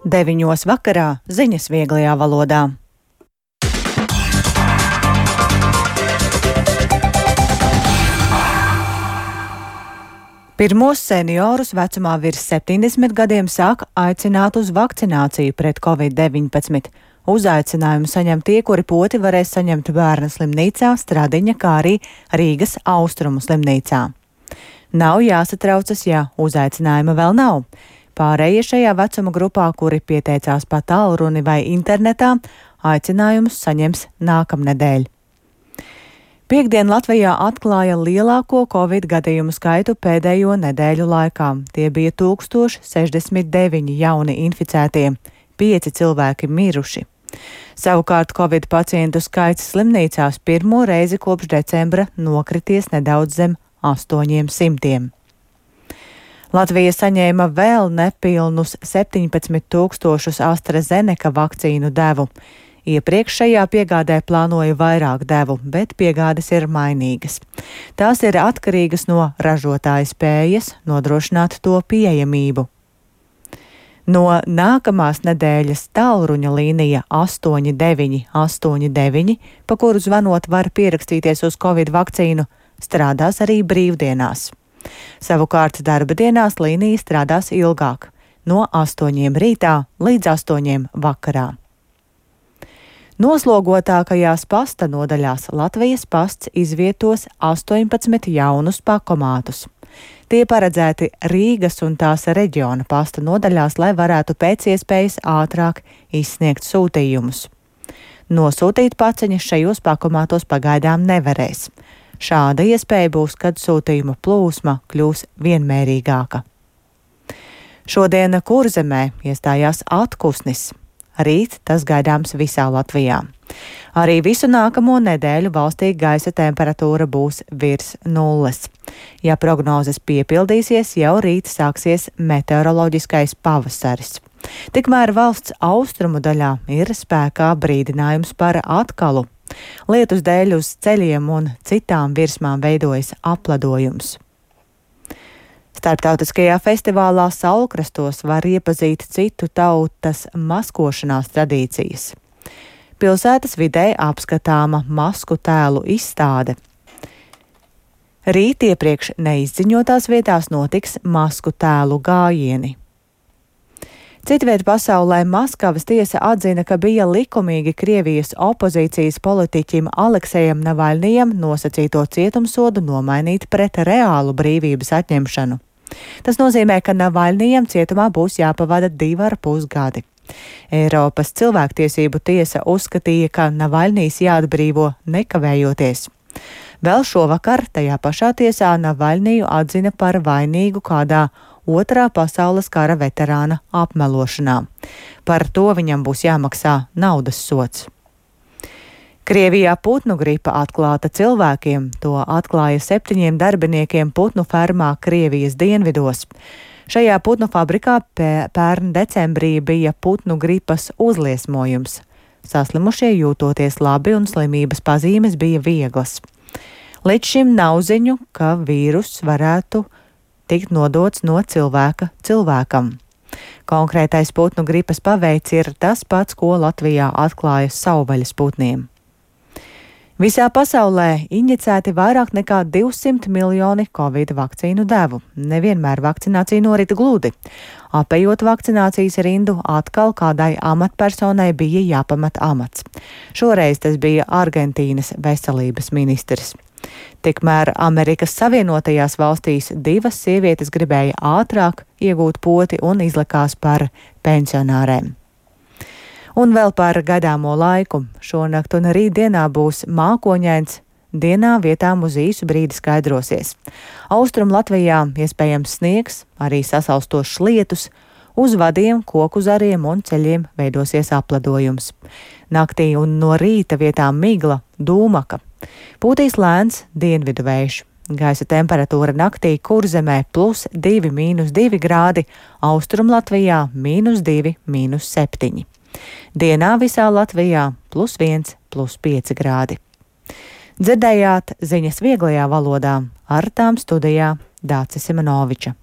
9 vakarā ziņas vieglajā valodā. Pirmos seniorus vecumā virs 70 gadiem sāk aicināt uz vakcināciju pret Covid-19. Uzaicinājumu saņem tie, kuri poti varēs saņemt Bērnu slimnīcā, Stradiņa, kā arī Rīgas Austrumu slimnīcā. Nav jāsatraucas, ja uzaicinājuma vēl nav. Pārējie šajā vecuma grupā, kuri pieteicās pa tālruni vai internetā, aicinājumus saņems nākamnedēļ. Piektdien Latvijā atklāja lielāko Covid gadījumu skaitu pēdējo nedēļu laikā. Tie bija 1069 jauni inficētie, 5 cilvēki miruši. Savukārt Covid pacientu skaits slimnīcās pirmo reizi kopš decembra nokrities nedaudz zem 800. Latvija saņēma vēl nepilnus 17,000 AstraZeneca vakcīnu devu. Iepriekš šajā piegādē plānoja vairāk devu, bet piegādes ir mainīgas. Tās ir atkarīgas no ražotāja spējas nodrošināt to pieejamību. No nākamās nedēļas tālruņa līnija 8989, pa kuru zvanot var pierakstīties uz Covid vakcīnu, strādās arī brīvdienās. Savukārt darba dienās līnija strādās ilgāk, no 8 rītā līdz 8 vakarā. Noslogotākajās pasta nodaļās Latvijas pasts izvietos 18 jaunus pakomātus. Tie paredzēti Rīgas un tās reģiona pasta nodaļās, lai varētu pēc iespējas ātrāk izsniegt sūtījumus. Nosūtīt paciņas šajos pakomātos pagaidām nevarēs. Šāda iespēja būs, kad sūtījuma plūsma kļūs vienmērīgāka. Šodien Kurzemē iestājās atkusnis. Rīt tas gaidāms visā Latvijā. Arī visu nākamo nedēļu valstī gaisa temperatūra būs virs nulles. Ja prognozes piepildīsies, jau rīt sāksies meteoroloģiskais pavasaris. Tikmēr valsts austrumu daļā ir spēkā brīdinājums par atkalu. Lietus dēļ uz ceļiem un citām virsmām veidojas apledojums. Starptautiskajā festivālā Saulkrastos var iepazīt citu tautas maskošanās tradīcijas. Pilsētas vidē apskatāma masku tēlu izstāde. Rīt iepriekš neizziņotās vietās notiks masku tēlu gājieni. Citviet pasaulē Maskavas tiesa atzina, ka bija likumīgi Krievijas opozīcijas politiķim Aleksejam Navaļnijam nosacīto cietumsodu nomainīt pret reālu brīvības atņemšanu. Tas nozīmē, ka Navaļnijam cietumā būs jāpavada 2,5 gadi. Eiropas cilvēktiesību tiesa uzskatīja, ka Navaļnijs jāatbrīvo nekavējoties. Vēl šovakar tajā pašā tiesā Navaļniju atzina par vainīgu kādā Otrā pasaules kara veterāna apmelošanā. Par to viņam būs jāmaksā naudas sods. Krievijā putnu gripa atklāta cilvēkiem. To atklāja 7 darbiniekiem putnu fermā Krievijas dienvidos. Šajā putnu fabrikā pērn decembrī bija putnu gripas uzliesmojums. Saslimušie jūtoties labi un slimības pazīmes bija vieglas. Līdz šim nav ziņu, ka vīrus varētu tikt nodots no cilvēka cilvēkam. Konkrētais putnu gripas paveids ir tas pats, ko Latvijā atklāja savvaļas putniem. Visā pasaulē injicēti vairāk nekā 200 miljoni Covid vakcīnu devu. Nevienmēr vakcinācija norit gludi. Apējot vakcinācijas rindu, atkal kādai amatpersonai bija jāpamat amats. Šoreiz tas bija Argentīnas veselības ministrs. Tikmēr Amerikas Savienotajās valstīs 2 sievietes gribēja ātrāk iegūt poti un izlikās par pensionārēm. Un vēl par gaidāmo laiku. Šonakt un rītdienā būs mākoņains, dienā vietām uz īsu brīdi skaidrosies. Austrum Latvijā iespējams sniegs, arī sasalstošs lietus, uz vadiem, koku zariem un ceļiem veidosies apledojums. Naktī un no rīta vietām migla, dūmaka. Pūtīs lēns dienvidu vējš. Gaisa temperatūra naktī Kurzemē +2, -2 grādi, Austrum Latvijā -2, -7. Dienā visā Latvijā +1, +5 grādi. Dzirdējāt ziņas vieglajā valodā, ar tām studijā Dācis Simonoviča.